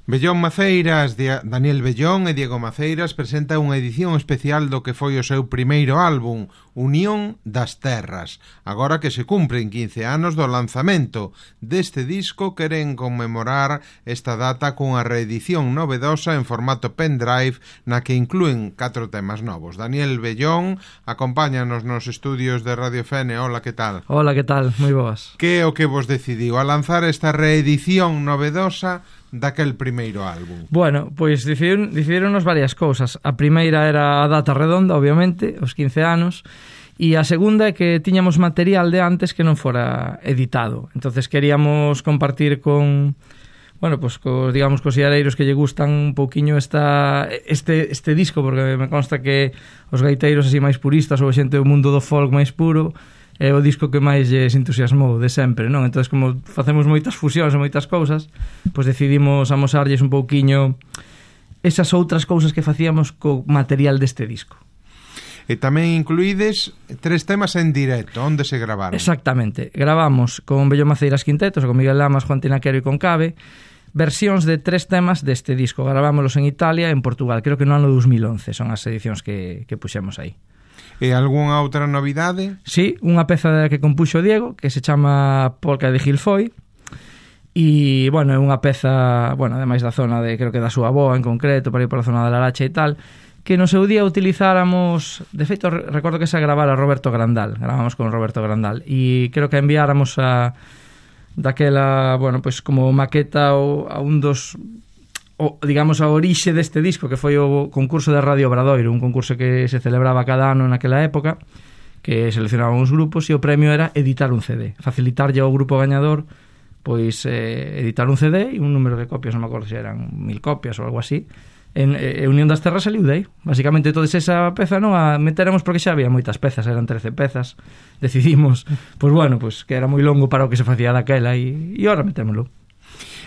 Bellón Maceiras, Daniel Bellón e Diego Maceiras presenta unha edición especial do que foi o seu primeiro álbum, Unión das Terras. Agora que se cumpren 15 anos do lanzamento deste disco, queren conmemorar esta data cunha reedición novedosa en formato pendrive na que inclúen 4 temas novos. Daniel Bellón, acompáñanos nos estudios de Radio Fene. Hola, que tal? Hola, que tal? Moi boas. Que é o que vos decidiu a lanzar esta reedición novedosa daquel primeiro álbum? Bueno, pois decidironos varias cousas. A primeira era a data redonda, obviamente, os 15 anos, e a segunda é que tiñamos material de antes que non fora editado. Entonces queríamos compartir con, bueno, pues digamos, cos iareiros que lle gustan un pouquiño este disco, porque me consta que os gaiteiros así máis puristas ou xente do mundo do folk máis puro é o disco que máis lles entusiasmou de sempre, non? Entón, como facemos moitas fusións e moitas cousas, pois decidimos amosarlles un pouquiño esas outras cousas que facíamos co material deste disco. E tamén incluídes 3 temas en directo, onde se gravaron? Exactamente, gravamos con Bellón Maceiras Quintetos, con Miguel Lamas, Juan Tinaquero e con Cabe, versións de 3 temas deste disco. Gravámoslos en Italia e en Portugal, creo que no ano 2011 son as edicións que puxemos aí. E algunha outra novidade? Sí, unha peza que compuxo Diego, que se chama Polca de Gilfoy, e, bueno, é unha peza, bueno, ademais da zona de, creo que da súa avoa en concreto, para ir pola zona da Laracha e tal, que no seu día utilizáramos, de feito, recordo que se gravara Roberto Grandal, gravamos con Roberto Grandal, e creo que enviáramos daquela, bueno, pois como maqueta a un dos, digamos, a orixe deste disco, que foi o concurso de Radio Obradoiro, un concurso que se celebraba cada ano naquela época, que seleccionaban os grupos, e o premio era editar un CD, facilitarlle ao grupo gañador pois editar un CD e un número de copias, non me acordo se eran 1000 copias ou algo así. Unión das Terras saliu dai. Basicamente toda esa peza non a meteremos porque xa había moitas pezas, eran 13 pezas. Decidimos, pois bueno, pois que era moi longo para o que se facía daquela e ahora metémoslo.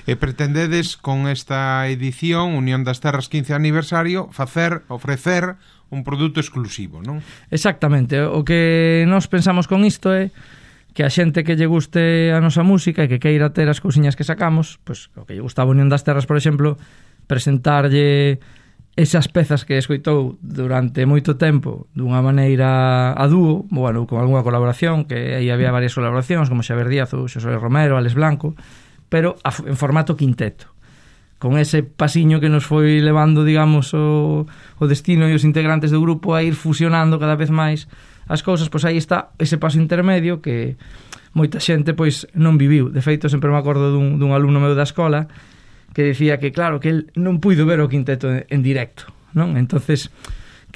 E pretendedes con esta edición Unión das Terras 15 aniversario ofrecer un produto exclusivo, non? Exactamente, o que nós pensamos con isto é que a xente que lle guste a nosa música e que queira ter as cousiñas que sacamos, pois o que lle gustaba Unión das Terras, por exemplo, presentarlle esas pezas que escoitou durante moito tempo dunha maneira a dúo, bueno, con algunha colaboración, que aí había varias colaboracións como Xavier Díaz ou Xosé Romero, Alex Blanco, pero en formato quinteto, con ese pasiño que nos foi levando, digamos, o destino e os integrantes do grupo a ir fusionando cada vez máis as cousas. Pois aí está ese paso intermedio que moita xente pois non viviu. De feito, sempre me acordo dun alumno meu da escola que dicía que, claro, que el non puido ver o quinteto en directo, non? Entonces,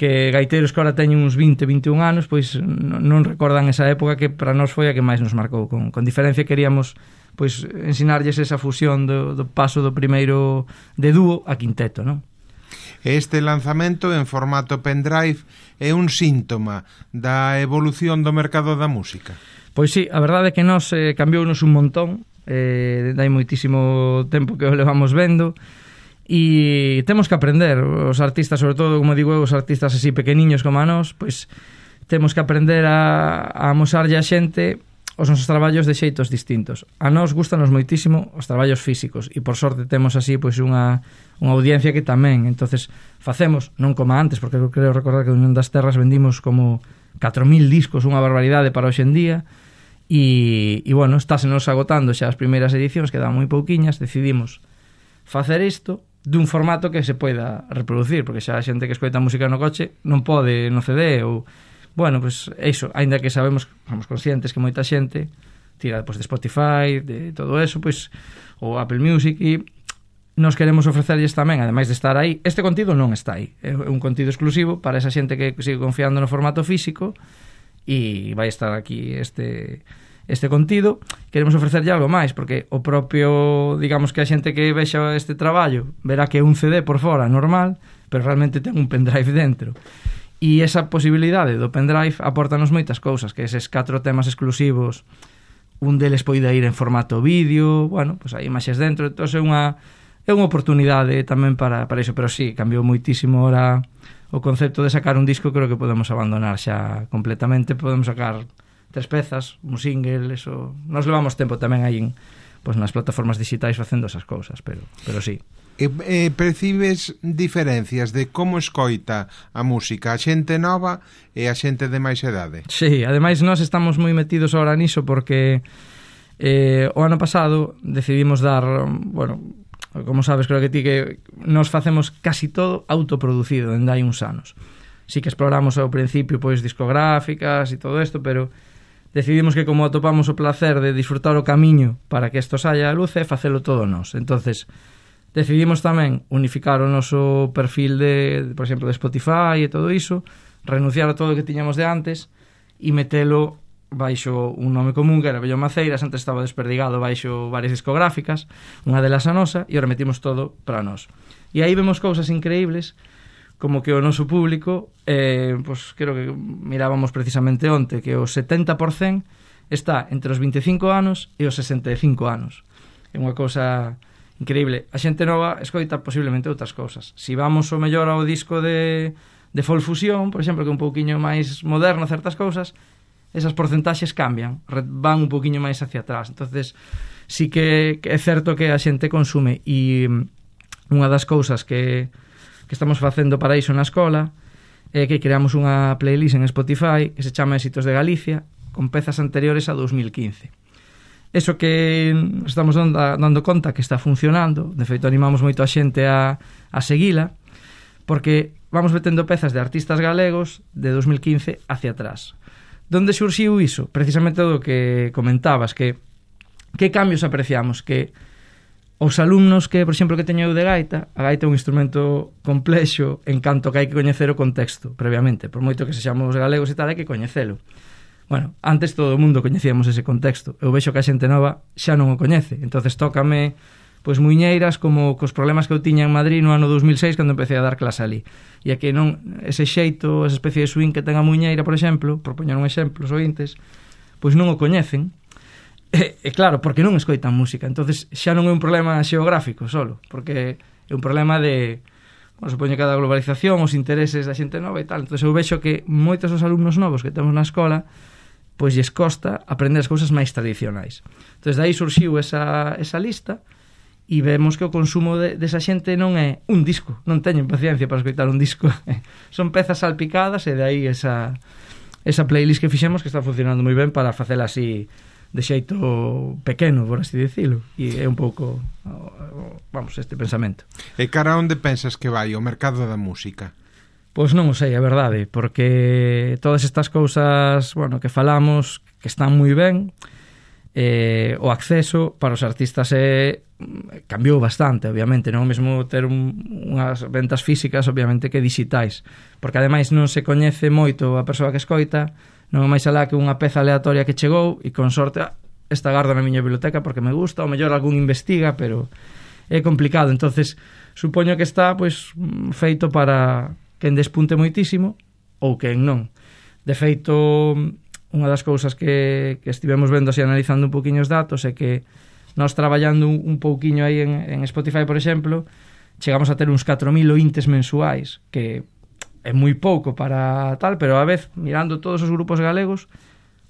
que gaiteiros que ahora teñen uns 20, 21 anos, pois non recordan esa época que para nós foi a que máis nos marcou. Con diferencia queríamos pois ensinarlles esa fusión do paso do primeiro de dúo a quinteto, non? Este lanzamento en formato pendrive é un síntoma da evolución do mercado da música? Pois sí, a verdade é que nos cambiounos un montón, dai moitísimo tempo que o levamos vendo, e temos que aprender, os artistas, sobre todo, como digo, os artistas así pequeniños como a nós, pois temos que aprender a amosarlle a xente os nosos traballos de xeitos distintos. A nós gustanos moitísimo os traballos físicos e por sorte temos así pois unha audiencia que tamén. Entonces facemos, non como antes, porque eu creo recordar que Unión das Terras vendimos como 4.000 discos, unha barbaridade para hoxe en día, e bueno, estásenos agotando xa as primeiras edicións, quedaban moi pouquiñas. Decidimos facer isto dun formato que se poida reproducir, porque xa a xente que escoita música no coche non pode no CD ou... Bueno, pois iso, aínda que somos conscientes que moita xente tira pois, de Spotify, de todo eso, pois, ou Apple Music, e nos queremos ofrecerlles tamén, ademais de estar aí, este contido non está aí, é un contido exclusivo para esa xente que sigue confiando no formato físico, e vai estar aquí este contido. Queremos ofrecerlle algo máis, porque o propio, digamos que a xente que vexa este traballo verá que é un CD por fora normal, pero realmente ten un pendrive dentro. E esa posibilidade do pendrive apórtanos moitas cousas, que eses 4 temas exclusivos, un deles poida ir en formato vídeo, bueno, pois hai imaxes dentro, entón é unha oportunidade tamén para iso, pero sí, cambiou moitísimo ahora o concepto de sacar un disco. Creo que podemos abandonar xa completamente, podemos sacar 3 pezas, un single, eso. Nos levamos tempo tamén aí nas plataformas digitais facendo esas cousas, pero sí. Percibes diferencias de como escoita a música a xente nova e a xente de máis edade? Sí, ademais nós estamos moi metidos ahora niso porque o ano pasado decidimos dar, bueno, como sabes, creo que ti que nos facemos casi todo autoproducido dende hai uns anos. Sí que exploramos ao principio pois discográficas e todo isto, pero decidimos que como atopamos o placer de disfrutar o camiño para que isto saia a luz e facelo todo nós. Entonces decidimos tamén unificar o noso perfil de, por exemplo, de Spotify e todo iso, renunciar a todo o que tiñamos de antes e metelo baixo un nome común que era Bellón Maceiras. Antes estaba desperdigado baixo varias discográficas, unha delas a nosa, e ahora metimos todo para nós. E aí vemos cousas increíbles, como que o noso público, pues creo que mirábamos precisamente onte, que o 70% está entre os 25 anos e os 65 anos. É unha cousa increíble. A xente nova escoita posiblemente outras cousas. Si vamos o mellor ao disco de folk fusión, por exemplo, que é un pouquiño máis moderno certas cousas, esas porcentaxes cambian, van un pouquiño máis hacia atrás. Entonces, sí que é certo que a xente consume, e unha das cousas que estamos facendo para iso na escola é que creamos unha playlist en Spotify que se chama Éxitos de Galicia, con pezas anteriores a 2015. Eso que estamos dando conta que está funcionando, de feito animamos moito a xente a seguila, porque vamos metendo pezas de artistas galegos de 2015 hacia atrás. Donde surxiu iso? Precisamente do que comentabas, que cambios apreciamos, que os alumnos que, por exemplo, que teño eu de gaita, a gaita é un instrumento complexo en canto que hai que coñecer o contexto previamente, por moito que sexamos galegos e tal, hai que coñecelo. Bueno, antes todo o mundo coñecíamos ese contexto. Eu vexo que a xente nova xa non o coñece. Entonces tócame pois muiñeiras como cos problemas que eu tiña en Madrid no ano 2006 cando empecé a dar clase ali. E aquí non, ese xeito, esa especie de swing que ten a muiñeira, por exemplo, por poñer un exemplo, os ointes, pois non o coñecen. E claro, porque non escoitan música. Entonces xa non é un problema xeográfico solo, porque é un problema de, bueno, supoño que da globalización, os intereses da xente nova e tal. Entonces eu vexo que moitos dos alumnos novos que temos na escola pois lles costa aprender as cousas máis tradicionais. Entón, de aí surxiu esa lista e vemos que o consumo desa xente non é un disco, non teñen paciencia para escoitar un disco. Son pezas salpicadas e de aí esa playlist que fixemos que está funcionando moi ben para facela así de xeito pequeno, por así dicilo. E é un pouco, vamos, este pensamento. E cara onde pensas que vai o mercado da música? Pois non o sei, a verdade, porque todas estas cousas, bueno, que falamos, que están moi ben, o acceso para os artistas cambiou bastante, obviamente, non é o mesmo ter unhas ventas físicas, obviamente, que digitais, porque ademais non se coñece moito a persoa que escoita, non é máis alá que unha peza aleatoria que chegou e con sorte esta gardo na miña biblioteca porque me gusta, ou mellor algún investiga, pero é complicado. Entonces supoño que está pois feito para quen despunte moitísimo ou quen non. De feito, unha das cousas que estivemos vendo así analizando un poquinho os datos é que nós traballando un pouquiño aí en Spotify, por exemplo, chegamos a ter uns 4.000 ointes mensuais, que é moi pouco para tal, pero a vez, mirando todos os grupos galegos,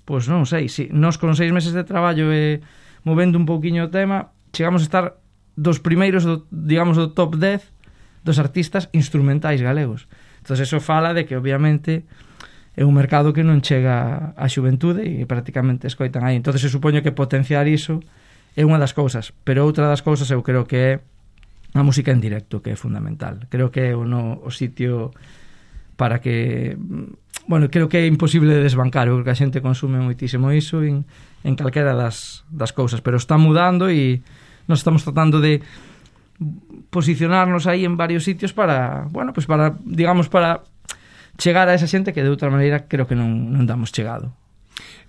pois non sei, si nós con 6 meses de traballo e movendo un pouquiño o tema, chegamos a estar dos primeiros, digamos, do top 10 dos artistas instrumentais galegos. Entón, eso fala de que, obviamente, é un mercado que non chega á xuventude e prácticamente escoitan aí. Entón, se supoño que potenciar iso é unha das cousas, pero outra das cousas eu creo que é a música en directo, que é fundamental. Creo que é o sitio para que... Bueno, creo que é imposible de desbancar. Eu creo que a xente consume moitísimo iso en calquera das cousas, pero está mudando e nos estamos tratando de posicionarnos aí en varios sitios para, bueno, pues para, digamos, para chegar a esa xente que de outra maneira creo que non damos chegado.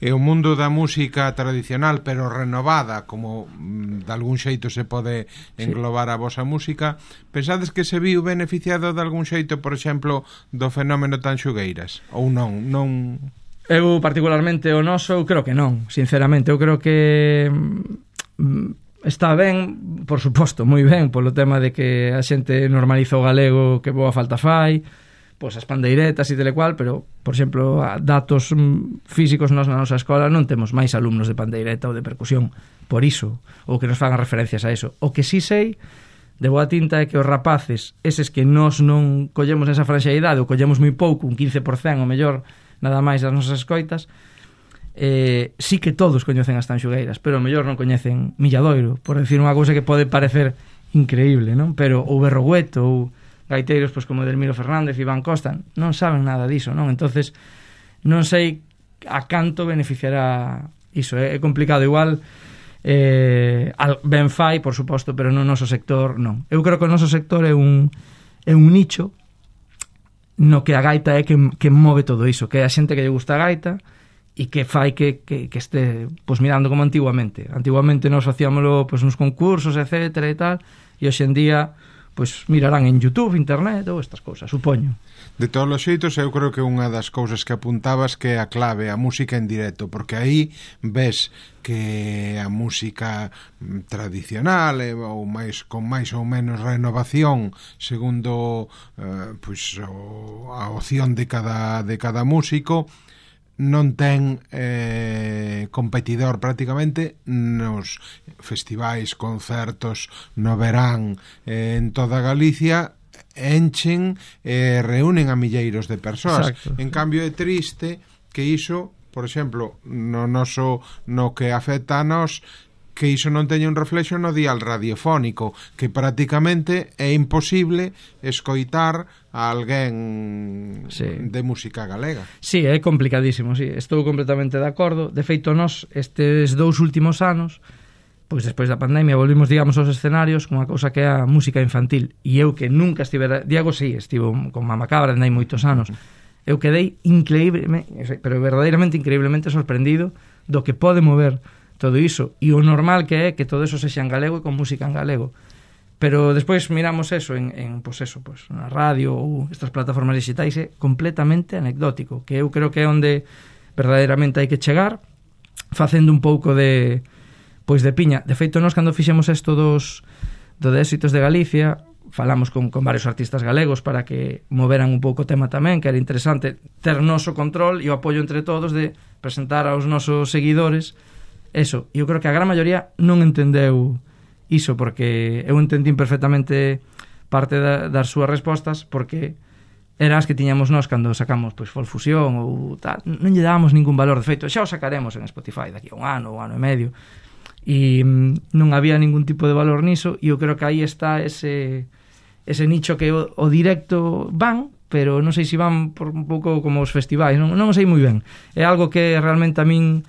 E o mundo da música tradicional, pero renovada, como de algún xeito se pode englobar a vosa música, pensades que se viu beneficiado de algún xeito, por exemplo, do fenómeno Tanxugueiras? Ou non? Eu, particularmente, o noso, eu creo que non, sinceramente. Eu creo que está ben, por suposto, moi ben, polo tema de que a xente normaliza o galego, que boa falta fai, pois as pandeiretas e tal cual, pero, por exemplo, datos físicos nós na nosa escola non temos máis alumnos de pandeireta ou de percusión por iso, ou que nos fagan referencias a iso. O que sí sei de boa tinta é que os rapaces, eses que nós non collemos esa franxa de idade, ou collemos moi pouco, un 15% ou mellor, nada máis das nosas escoitas, sí que todos coñecen as tanxugueiras, pero o mellor non coñecen Milladoiro, por decir unha cousa que pode parecer increíble, non? Pero o Berrogueto ou gaiteiros pois como Delmiro Fernández e Iván Costa non saben nada diso, non? Entonces non sei a canto beneficiará iso, é complicado. Igual ben fai, por suposto, pero no noso sector non. Eu creo que o noso sector é un nicho no que a gaita é que move todo iso, que é a xente que lle gusta a gaita e que fai que este pois mirando como antigamente nós facíamoslo pois nos concursos, etcétera e tal, e hoxe en día pois mirarán en YouTube, internet ou estas cousas, supoño. De todos os xeitos, eu creo que unha das cousas que apuntabas que é a clave, a música en directo, porque aí ves que a música tradicional ou máis con máis ou menos renovación segundo pois a opción de cada músico non ten competidor prácticamente nos festivais, concertos no verán en toda Galicia, enchen e reúnen a milleiros de persoas. Exacto. En cambio é triste que iso, por exemplo, no que afecta a nós, que iso non teña un reflexo no dial radiofónico, que prácticamente é imposible escoitar a alguén de música galega. Sí, é complicadísimo, sí, estou completamente de acordo. De feito, nós estes 2 últimos anos, pois despois da pandemia, volvimos, digamos, aos escenarios con unha cousa que é a música infantil. E eu que nunca estivera... Diego, sí, estivo con Mamacabra, andai moitos anos. Eu quedei increíblemente, pero verdadeiramente increíblemente sorprendido do que pode mover todo iso, e o normal que é que todo eso sexa en galego e con música en galego. Pero despois miramos eso en na radio ou estas plataformas digitais, é completamente anecdótico, que eu creo que é onde verdadeiramente hai que chegar, facendo un pouco de piña. De feito, nós cando fixemos isto do de éxitos de Galicia, falamos con varios artistas galegos para que moveran un pouco o tema tamén, que era interesante ter noso control e o apoio entre todos de presentar aos nosos seguidores eso. E eu creo que a gran maioría non entendeu iso, porque eu entendín perfectamente parte das súas respostas, porque eran as que tiñamos nós cando sacamos pois Folfusión ou tal, non lle dábamos ningún valor. De feito, xa o sacaremos en Spotify daqui a un ano e medio, e non había ningún tipo de valor niso, e eu creo que aí está ese nicho que o directo van, pero non sei se van por un pouco como os festivais, non o sei moi ben. É algo que realmente a min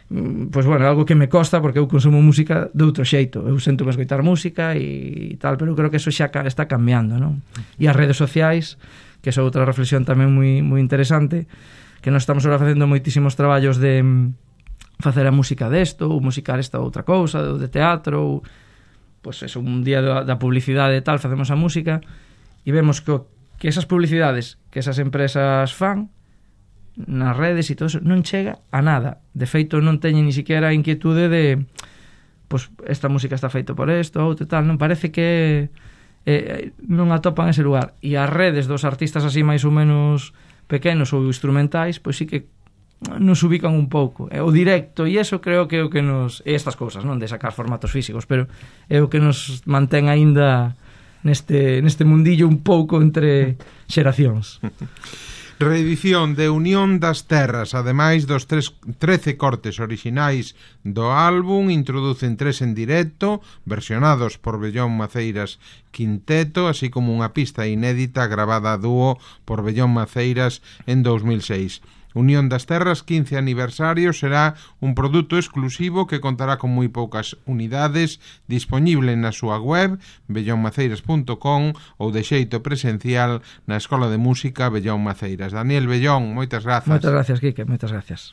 pois bueno, algo que me costa, porque eu consumo música de outro xeito. Eu sento que escoitar música e tal, pero eu creo que eso xa está cambiando, non? E as redes sociais, que é outra reflexión tamén moi interesante, que nós estamos agora facendo moitísimos traballos de facer a música desto, ou musicar esta outra cousa, ou de teatro, ou pois eso, un día da publicidade e tal, facemos a música e vemos que esas publicidades que esas empresas fan nas redes e todo eso non chega a nada. De feito, non teñen ni siquiera a inquietude de pois esta música está feito por isto ou tal, non parece que non atopan ese lugar. E as redes dos artistas así máis ou menos pequenos ou instrumentais, pois sí que nos ubican un pouco. O directo, e eso creo que é o que nos... E estas cousas, non de sacar formatos físicos, pero é o que nos mantén aínda neste mundillo un pouco entre xeracións. Reedición de Unión das Terras, ademais dos 13 cortes orixinais do álbum, introducen 3 en directo, versionados por Bellón Maceiras Quinteto, así como unha pista inédita gravada a dúo por Bellón Maceiras en 2006. Unión das Terras 15 aniversario será un produto exclusivo que contará con moi poucas unidades, disponible na súa web bellonmaceiras.com ou de xeito presencial na Escola de Música Bellón Maceiras. Daniel Bellón, moitas grazas. Moitas gracias, Quique, moitas gracias.